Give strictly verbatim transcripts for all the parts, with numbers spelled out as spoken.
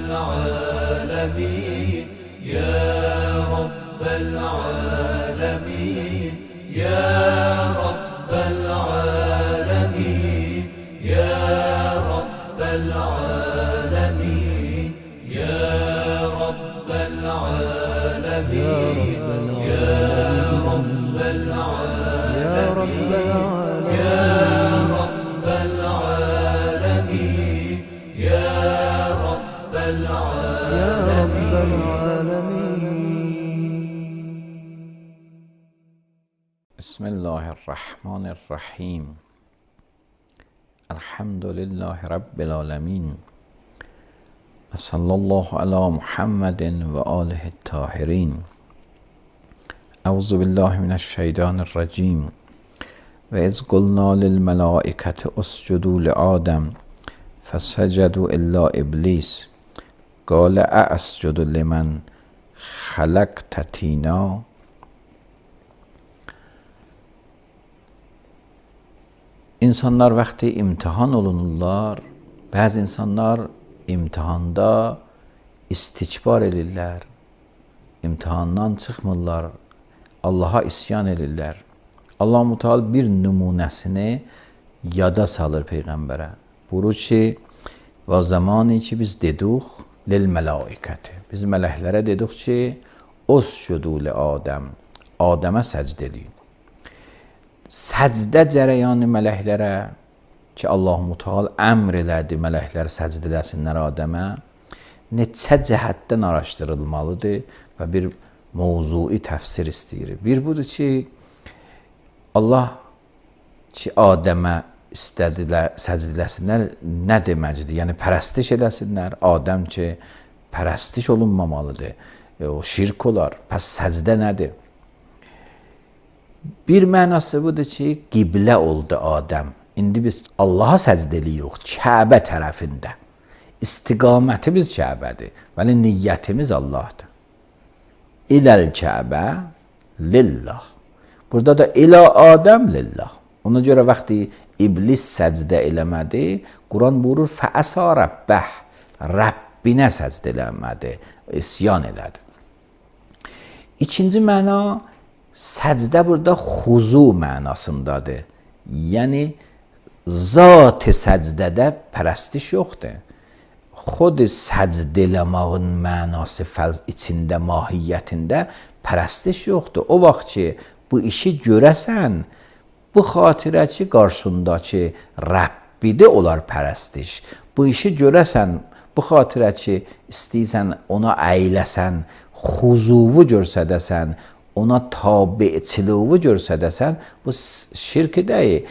العالمين يا رب العالمين يا رب العالمين يا رب العالمين يا رب العالمين يا رب العالمين يا رب العالمين يا رب العالمين. بسم الله الرحمن الرحیم. الحمد لله رب العالمین و صلی الله علی محمد و آله الطاهرین. اعوذ بالله من الشیطان الرجیم. و اذ قلنا للملائکة اسجدوا لآدم فسجدوا الا ابلیس قال اسجد لمن خلقت طینا. İnsanlar vaxtı imtihan olunurlar. Bəzi insanlar imtihanda istikbar edirlər. İmtihandan çıxmırlar. Allaha isyan edirlər. Allah-u Teala bir nümunəsini yada salır Peyğəmbərə. Buyurur ki, və zamanı ki biz dedik lil mələikəti. Biz mələklərə dedik ki, uscudu li Adəm. Adəmə səcd edin. Səcdə cərəyanı mələklərə ki, Allah-u Teala əmr elədi mələklər səcd edəsinlər Adəmə, neçə cəhətdən araşdırılmalıdır və bir mövzui təfsir istəyir. Bir budur ki, Allah ki, Adəmə istədilər, səcd edəsinlər nə deməkdir? Yəni, pərəstiş edəsinlər. Adəm ki, pərəstiş olunmamalıdır. E, o şirk olar. Pəs səcdə nədir? Bir mənası budur ki, qiblə oldu Adəm. İndi biz Allaha səcd eləyirik Kəbə tərəfində. İstiqamətimiz Kəbədir. Bəli, niyyətimiz Allahdır. İləl Kəbə lillah. Burada da ilə Adəm lillah. Ona görə vaxtı iblis səcdə eləmədi, Quran buyurur fəəsə rəbbəh. Rəbbinə səcd eləmədi, isyan elədi. İkinci məna, səcdə burada xuzu mənasındadır. Yəni, zat-ı səcdədə pərəstiş yoxdur. Xod səcd eləmağın mənası içində, mahiyyətində pərəstiş yoxdur. O vaxt ki, bu işi görəsən, bu xatirə ki, qarşındakı Rəbbidə olar pərəstiş. Bu işi görəsən, bu xatirə ki, istəyirsən, ona əyləsən, xuzuvu görsədəsən, ona tabiçiliği görsədəsən, bu şirk deyil.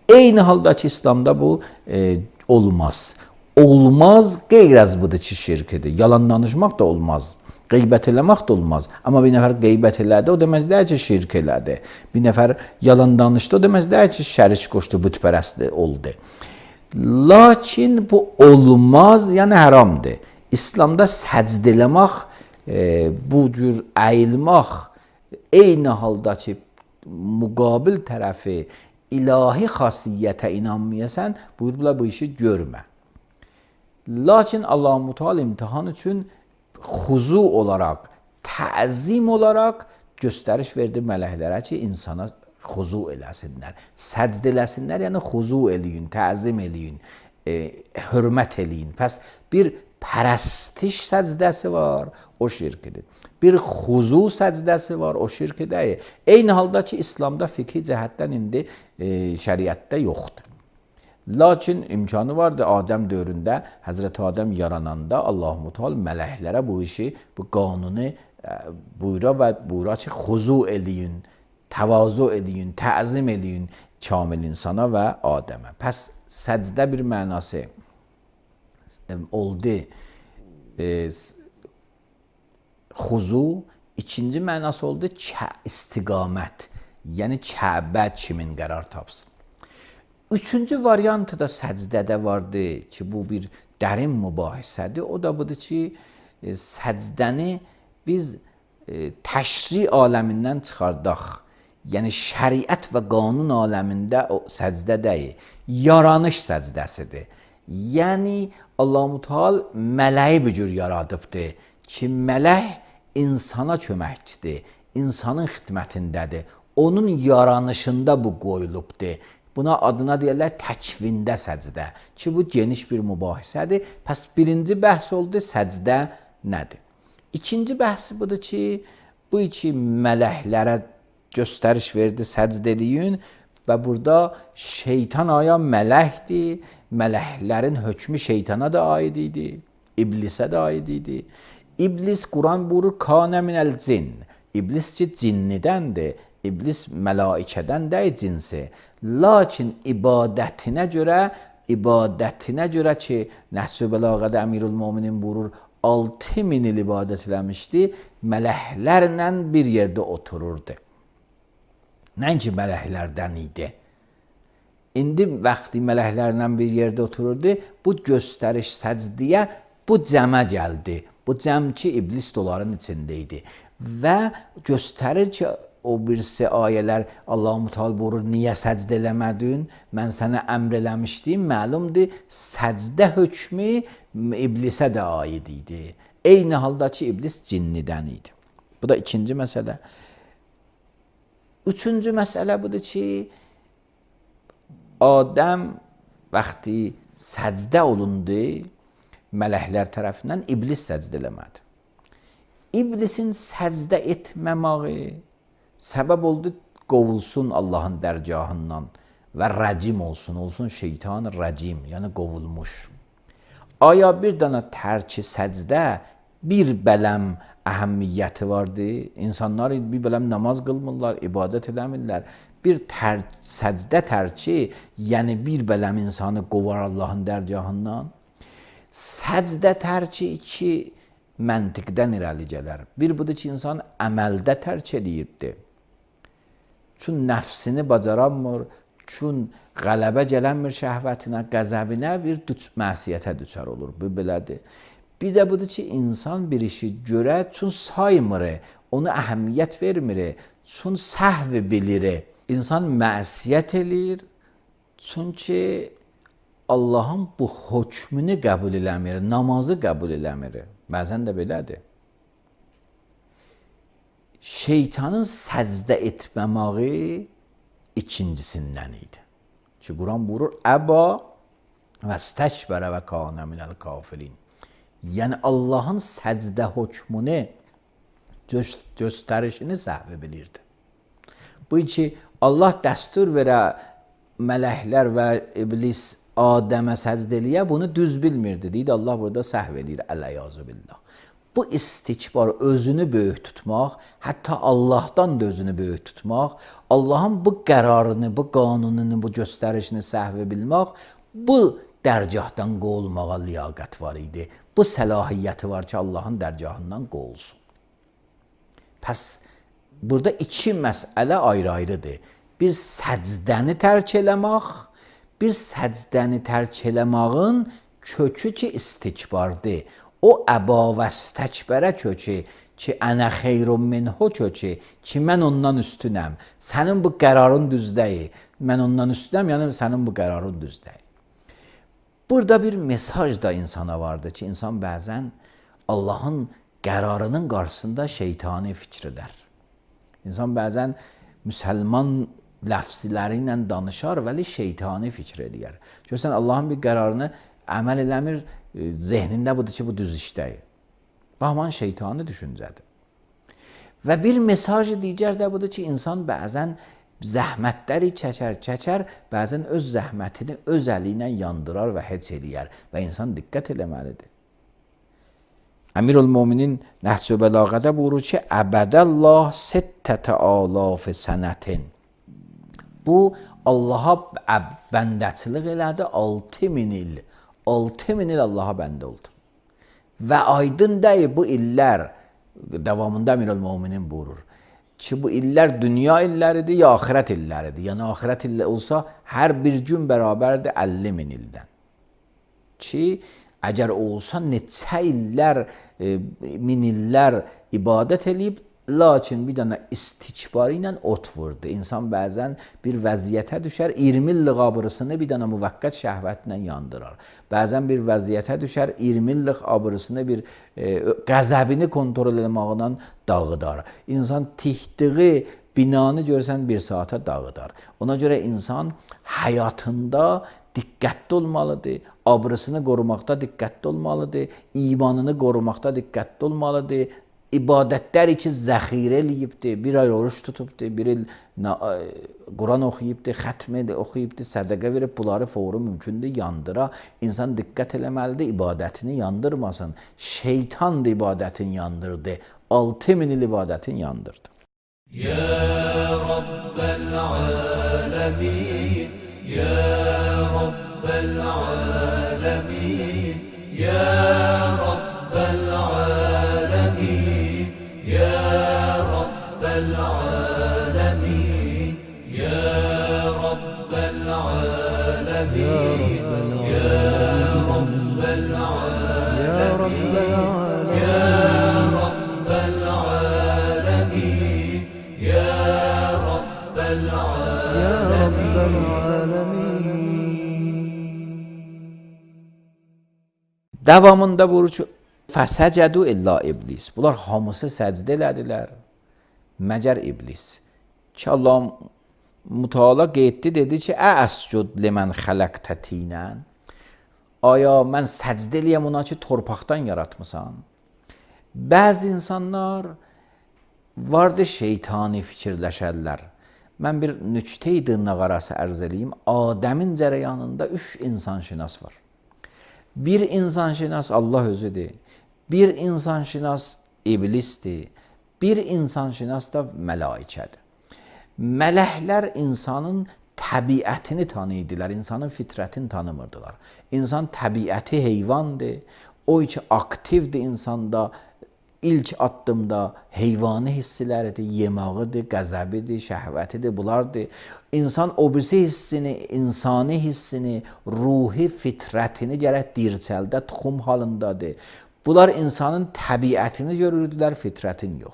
Eyni halda ki, İslamda bu e, olmaz. Olmaz, qeyraz budur ki, şirkidir. Yalan danışmaq da olmaz. Qeybət eləmək də olmaz. Amma bir nəfər qeybət elədi, o demək deyil ki, şirk elədi. Bir nəfər yalan danışdı, o demək deyil ki, şərik qoşdu, bütpərəstli oldu. Lakin bu olmaz, yəni haramdır. İslamda səcd eləmək, e, bu cür əyilmək, eyni halda ki, müqabil tərəfi ilahi xasiyyətə inanmayasan, buyurdular bu işi görmə. Lakin Allah-u Teala imtihan üçün xuzu olaraq, təzim olaraq göstəriş verdi mələklərə ki, insana xuzu eləsinlər, səcd eləsinlər, yəni xuzu eləyin, təzim eləyin, e, hörmət eləyin. Pəs bir pərəstiş səcdəsi var, o şirkidir. Bir xuzu səcdəsi var, o şirki deyil. Eyni halda ki, İslamda fikri cəhətdən indi e, şəriətdə yoxdur. Lakin imkanı vardı Adəm dövründə, Həzrəti Adəm yarananda Allah-u Teala mələklərə bu işi, bu qanunu e, buyura və buyura ki, xuzu eləyin, təvazu eləyin, təzim eləyin kamil insana və Adəmə. Pəs səcdə bir mənası oldu e, xuzu, ikinci mənası oldu istiqamət, yəni Kəbə kimin qərar tapsın. Üçüncü variantı da səcdədə vardı ki, bu bir dərin mübahisədir. O da budur ki, e, səcdəni biz e, təşri aləmindən çıxardaq. Yəni şəriət və qanun aləmində o səcdə deyil, yaranış səcdəsidir. Yəni Allah-u Teala mələyi bir cür yaradıbdır ki, mələk insana köməkçidir, insanın xidmətindədir. Onun yaranışında bu qoyulubdur. Buna adına deyirlər təkvində səcdə ki, bu geniş bir mübahisədir. Pəs birinci bəhs oldu, səcdə nədir? İkinci bəhsi budur ki, bu iki mələklərə göstəriş verdi səcdə eləyin və burada şeytan aya mələkdir, mələklərin hökmü şeytana da aid idi, iblisə də aid idi. İblis, Quran buyurur, kanə minəl cin. İblis ki, cinnidəndir. İblis mələikədən deyil cinsi. Lakin ibadətinə görə, ibadətinə görə ki, Nəhs-i Bəlağədə Əmirül-Möminin buyurur, altı min il ibadət eləmişdi, mələklərlə bir yerdə otururdu. Nəinki mələklərdən idi. İndi vaxtı mələklərlə bir yerdə otururdu, bu göstəriş səcdiyə bu cəmə gəldi. Bu cəm ki, iblis doların içində idi. Və göstərir ki, o birisi ayələr Allah-u Teala buyurur, niyə səcdə eləmədin? Mən sənə əmr eləmişdim. Məlumdur, səcdə hökmü iblisə də aid idi. Eyni halda ki, iblis cinnidən idi. Bu da ikinci məsələ. Üçüncü məsələ budur ki, Adəm vaxtı səcdə olundu, mələklər tərəfindən iblis səcdə eləmədi. İblisin səcdə etməməyi səbəb oldu qovulsun Allahın dərgahından və rəcim olsun, olsun şeytan rəcim, yəni qovulmuş. Aya bir dana tərki səcdə bir bələm əhəmiyyəti vardı. İnsanlar bir bələm namaz qılmırlar, ibadət edəmirlər. Bir tər səcdə tərki, yəni bir bələm insanı qovar Allahın dərgahından. Səcdə tərki iki məntiqdən irəli gələr. Bir budur ki, insan əməldə tərk edirdi. Çün nəfsini bacaranmır, çün qələbə gələnmir şəhvətinə, qəzəbinə bir məsiyyətə düşər olur. Bu belədir. Bir də budur ki, insan bir işi görə, çün saymır, onu əhəmiyyət vermir, çün səhv bilir. İnsan məsiyyət eləyir, çünki Allahın bu hökmünü qəbul eləmir, namazı qəbul eləmir. Bəzən də belədir. Şeytanın səcdə etməməyi ikincisindən idi. Ki, Quran buyurur, əba və stəkbərə və kanə minəl kafirin. Yəni, Allahın səcdə hökmünü göstərişini səhv bilirdi. Bu ki, Allah dəstur verə mələklər və iblis Adəmə səcdə eləyə, bunu düz bilmirdi. Deyid, Allah burada səhv edir, ələyazü billah. Bu istikbar, özünü böyük tutmaq, hətta Allahdan da özünü böyük tutmaq, Allahın bu qərarını, bu qanununu, bu göstərişini səhv bilmək, bu dərgahdan qovulmağa liyaqət var idi. Bu səlahiyyəti var ki, Allahın dərgahından qovulsun. Pəs, burada iki məsələ ayrı-ayrıdır. Bir səcdəni tərk eləmək, bir səcdəni tərk eləmağın kökü ki, istikbardır. O əba və stəkbərə kökü ki, ənə xeyrun minhu kökü ki, mən ondan üstünəm. Sənin bu qərarın düz deyil. Mən ondan üstünəm, yəni sənin bu qərarın düz deyil. Burada bir mesaj da insana vardır ki, insan bəzən Allahın qərarının qarşısında şeytani fikr edər. İnsan bəzən müsəlman ləfzləri ilə danışar, vəli şeytani fikr edir. Görsən, Allahın bir qərarını əməl eləmir, zehnində budur ki, bu düz işdəyir. Baxman, şeytani düşüncədir. Və bir mesajı digər də budur ki, insan bəzən zəhmətləri çəkər, çəkər, bəzən öz zəhmətini öz əli ilə yandırar və heç eləyər və insan diqqət eləməlidir. Əmirül-Möminin Nəhc-ü Bəlağədə buyurur ki, əbədəllah sittətə alaf sənətin. Bu, Allaha bəndəçilik elədi altı min il. altı min il Allaha bəndə oldu. Və aydın deyil, bu illər, davamında Əmirül-Möminin buyurur ki, bu illər dünya illəridir, ya axirət illəridir. Yəni, axirət illər olsa, hər bir gün bərabərdir əlli min ildən. Ki, əgər olsa, neçə illər, min illər ibadət eləyib, lakin bir dənə istikbarı ilə ot vurdu. İnsan bəzən bir vəziyyətə düşər, iyirmi illik abırısını bir dənə müvəqqət şəhvətlə yandırar. Bəzən bir vəziyyətə düşər, iyirmi illik abırısını bir e, qəzəbini kontrol etməklə dağıdar. İnsan tikdiyi binanı görsən bir saata dağıdar. Ona görə insan həyatında diqqətli olmalıdır, abırısını qorumaqda diqqətli olmalıdır, imanını qorumaqda diqqətli olmalıdır. İbadətlər için zəxirə eləyibdir, bir ay oruç tutubdur, bir il Quran oxuyubdur, xətm oxuyubdur, sədəqə verib, bunları fəvri mümkündür yandıra. İnsan diqqət eləməlidir, ibadətini yandırmasın. Şeytan da ibadətini yandırdı, altı min il ibadətini yandırdı. Ya Rabbel alemin, Ya Rabbel alemin, Ya Rabbel alemin, Ya Rabbel alemin, Ya Rabbel alemin, Ya Rabbel alemin, Ya Rabbel alemin, Ya Rabbel alemin. Davamında vurur ki, fəsəcədu illa iblis. Bunlar hamısı səcdə elədilər, məgər iblis. Ki Allah Müteala qeyddi, dedi ki, əscud limən xələqtə tinən. Aya mən səcdə eləyəm ona ki, torpaqdan yaratmısan. Bəzi insanlar vardı şeytani fikirləşərlər. Mən bir nüktə-i dırnaqarası ərz eləyim. Adəmin cərəyanında üç insanşinas var. Bir insanşinas Allah özüdür. Bir insanşinas iblisdir. Bir insanşinas da mələikədir. Mələklər insanın təbiətini tanıydılar, insanın fitrətini tanımırdılar. İnsan təbiəti heyvandır. O ki aktivdir insanda. İlk addımda heyvani hissiləridir, yemağıdır, qəzəbidir, şəhvətidir, bunlardır. İnsan o birisi hissini, insani hissini, ruhi fitrətini gərək dirçəldə, tuxum halındadır. Bunlar insanın təbiətini görürdülər, fitrətini yox.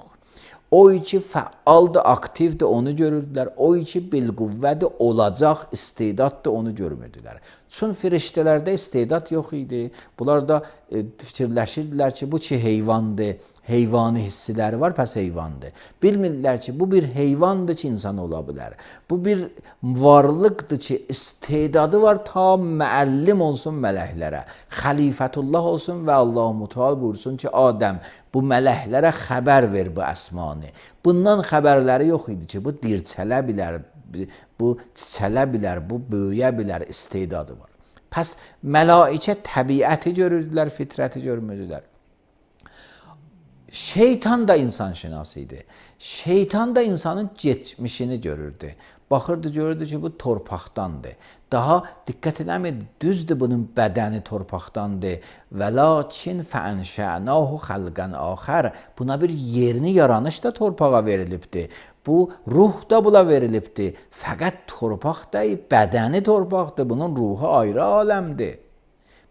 O ki fəaldır, aktivdir, onu görürdülər. O ki bilqüvvədir, olacaq, istedaddır, onu görmürdülər. Çün firiştələrdə istedad yox idi. Bunlar da e, fikirləşirdilər ki, bu ki heyvandır, heyvani hissiləri var, pəs heyvandır. Bilmirlər ki, bu bir heyvandır ki, insan ola bilər. Bu bir varlıqdır ki, istedadı var, ta müəllim olsun mələklərə. Xəlifətullah olsun və Allah-u Müteala buyursun ki, Adəm, bu mələklərə xəbər ver bu əsmanı. Bundan xəbərləri yox idi ki, bu dirçələ bilər, bu çiçələ bilər, bu böyüyə bilər, istedadı var. Pəs mələikə təbiəti görürdülər, fitrəti görmürdülər. Şeytan da insan şinası idi. Şeytan da insanın geçmişini görürdü. Baxırdı, görürdü ki, bu torpaqdandır. Daha diqqət eləmirdi, düzdür bunun bədəni torpaqdandır. Və lakin fəənşənahu xalqan axər. Buna bir yerini yaranış da torpağa verilibdir. Bu ruh da buna verilibdir. Fəqət torpaq deyil, bədəni torpaqdır. Bunun ruhu ayrı aləmdir.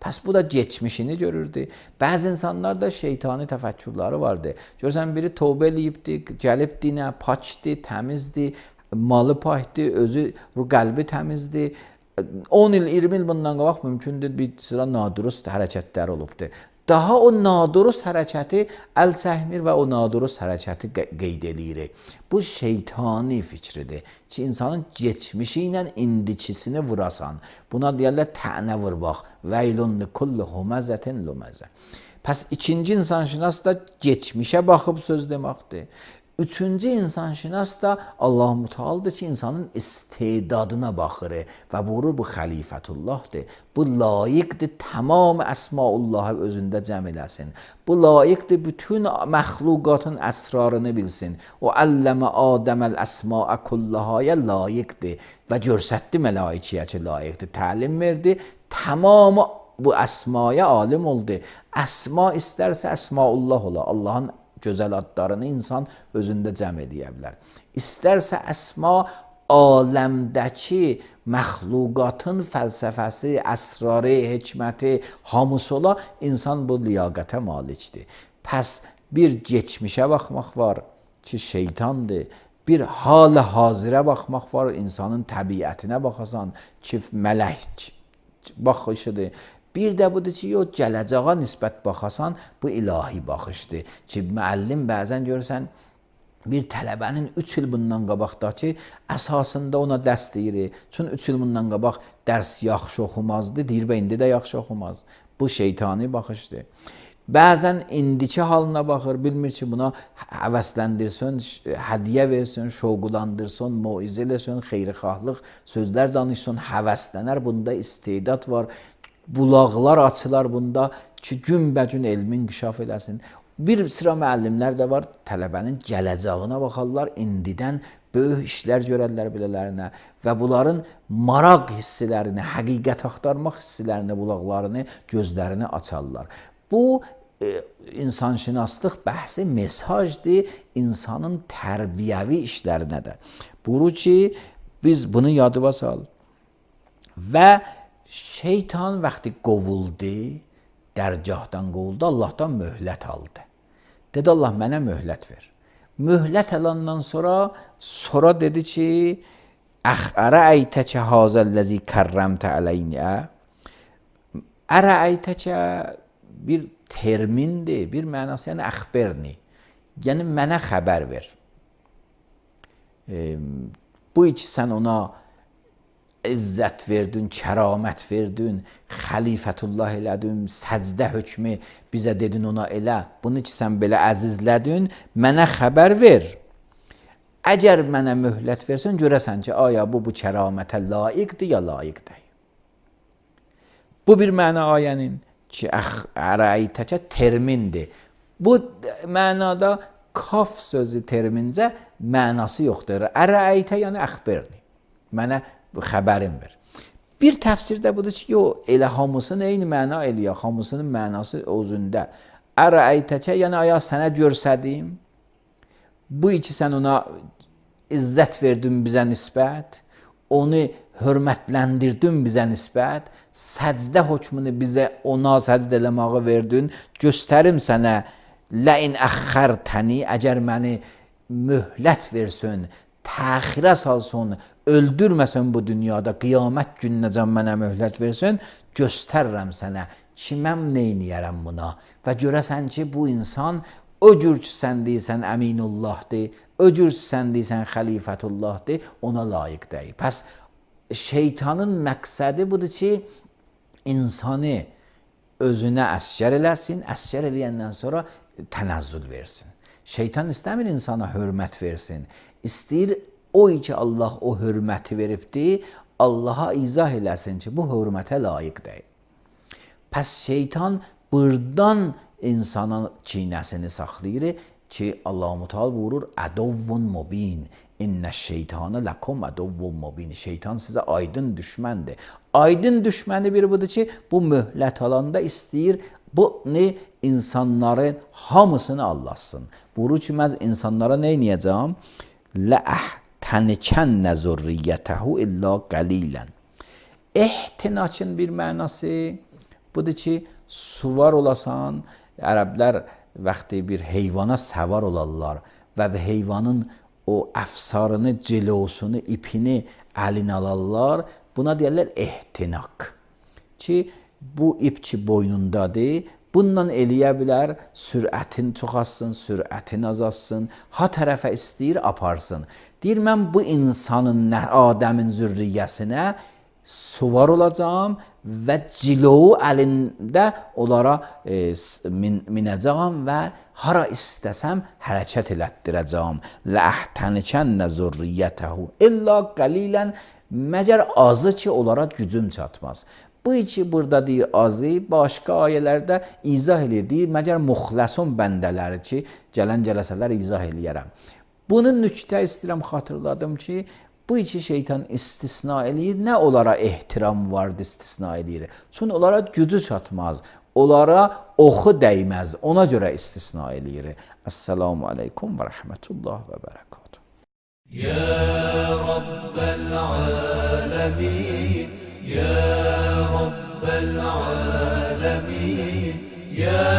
Pəs bu da geçmişini görürdü. Bəzi insanlar da şeytani təfəkkürləri vardı. Görsən biri tövbə eləyibdi, gəlib dinə, paçdı, təmizdi, malı pakdı, özü qəlbi təmizdi. on il, iyirmi il bundan qabaq mümkündür bir sıra nadurust hərəkətlər olubdur. Daha o nadurust hərəkəti əl çəkmir və o nadurust hərəkəti qeyd eləyirik. Bu şeytani fikridir ki, insanın geçmişi ilə indikisini vurasan. Buna deyərlər tənə vurmaq. Veylun likulli huməzətin luməzə. Pəs ikinci insanşinas da geçmişə baxıb söz deməkdir. Üçüncü insanşinas da Allah-u Müteala'dır ki, insanın istedadına baxır və buyurur bu xəlifətullahdır. Bu layiqdir tamam əsmaullahı özündə cəm eləsin. Bu layiqdir bütün məxluqatın əsrarını bilsin. O əlləmə Adəməl əsmaə kullahaya layiqdir və görsətdi mələikəyə ki, layiqdir. Təlim verdi, tamamı bu əsmaya alim oldu. Əsma istərsə əsmaullah ola. Allahın gözəl adlarını insan özündə cəm edə bilər. İstərsə əsma aləmdəki məxluqatın fəlsəfəsi, əsrarı, hikməti hamısı ola, insan bu liyaqətə malikdir. Pəs bir geçmişə baxmaq var, ki şeytandır. Bir hal hazirə baxmaq var, insanın təbiətinə baxasan ki, mələk baxışıdır. Bir də budur ki, yox, gələcəyə nisbət baxasan, bu ilahi baxışdır. Ki, müəllim bəzən görürsən, bir tələbənin üç il bundan qabaqdakı əsasında ona dərs deyir. Çünki üç il bundan qabaq dərs yaxşı oxumazdı, deyir və indi də yaxşı oxumaz. Bu şeytani baxışdır. Bəzən indiki halına baxır, bilmir ki, buna həvəsləndirsin, hədiyyə versin, şoğulandırsın, moizə eləsin, xeyrixahlıq sözlər danışsın, həvəslənər, bunda istedad var. Bulaqlar açılar bunda ki, günbəcün elmin inkişaf eləsin. Bir sıra müəllimlər də var, tələbənin gələcəyinə baxarlar, indidən böyük işlər görərlər belələrinə və bunların maraq hisslərini, həqiqət axtarmaq hisslərini, bulaqlarını, gözlərini açarlar. Bu, e, insanşünaslıq bəhsi mesajdır insanın tərbiyəvi işlərinə də. Buyurur ki, biz bunu yadıva sal. Və şeytan vaxtı qovuldu, dərgahdan qovuldu, Allahdan möhlət aldı. Dedi, Allah mənə möhlət ver. Möhlət alandan sonra, sonra dedi ki, Ərəəytəkə hazəlləzi kərrəmtə ələynə. Ərəəytəkə bir termindir, bir mənası, yəni əxberni. Yəni, mənə xəbər ver. E, bu iki sən ona izzət verdin, kəramət verdin, xəlifətullah elədin, səcdə hökmü bizə dedin ona elə. Bunu ki, sən belə əzizlədin, mənə xəbər ver. Əgər mənə möhlət versən, görəsən ki, aya bu, bu kəramətə layiqdir, ya layiq deyil. Bu bir məna ayənin ki, ərəəytəkə termindir. Bu mənada kaf sözü termincə mənası yoxdur. Ərəəytə yəni əxberni. Mənə xəbərin ver. Bir təfsirdə budur ki, yox, elə hamısının eyni məna eləyə, hamısının mənası özündə. Ərəəytəkə yəni aya sənə görsədim, bu iki sən ona izzət verdin bizə nisbət, onu hörmətləndirdin bizə nisbət, səcdə hökmünü bizə ona səcdə eləməyi verdin, göstərim sənə ləin əxxərtəni, əgər məni möhlət versin, təxirə salsın, öldürməsən bu dünyada, qiyamət gününəcən mənə möhlət versin, göstərirəm sənə ki, mən neyniyərəm buna və görəsən ki, bu insan o cür ki, sən deyirsən əminullahdır, o cür ki, sən deyirsən xəlifətullahdır, ona layiq deyil. Pəs şeytanın məqsədi budur ki, insanı özünə əsgər eləsin, əsgər eləyəndən sonra tənəzzül versin. Şeytan istəmir insana hörmət versin, istəyir o ki, Allah o hörməti veribdir, Allaha izah eləsin ki, bu hörmətə layiq deyil. Pəs şeytan buradan insana çiynəsini saxlayır ki, Allah-u Teala buyurur, ədovvun mubin, İnnə şeytanı ləkum ədovvun mubin. Şeytan sizə aydın düşməndir. Aydın düşməni bir budur ki, bu möhlət alanda istəyir, bu ne insanların hamısını allasın. Buyurur ki, mən insanlara nə edəcəm? Ləəhtənikənnə zürriyyətəhu illə qəlilən. Ehtinakın bir mənası budur ki, suvar olasan, ərəblər vaxtı bir heyvana səvar olarlar və heyvanın o əfsarını, cilosunu, ipini əlinə alarlar. Buna deyərlər ehtinak. Ki, bu ip ki boynundadır, bundan eləyə bilər, sürətin çoxalsın, sürətin azalsın, ha tərəfə istəyir, aparsın. Deyir, mən bu insanın, Adəmin zürriyyəsinə suvar olacağım və cilovu əlində onlara e, min, minəcəyəm və hara istəsəm hərəkət elətdirəcəyəm. Ləəhtənikənnə zürriyyətəhu illə qəlilən, məgər azı ki, onlara gücüm çatmaz. Bu iki burada deyir azı, başqa ayələrdə izah edir, deyir, məgər muxləsun bəndələri ki, gələn cələsələr izah eləyərəm. Bunun nüktə istəyirəm, xatırladım ki, bu iki şeytan istisna eləyir, nə onlara ehtiram vardı istisna eləyir. Çünki onlara gücü çatmaz, onlara oxu dəyməz, ona görə istisna eləyir. Əssalamu aleykum və rəhmətullah və bərəkatuhu. Ya Rabbəl aləmin, Ya Rabbəl aləmin, Ya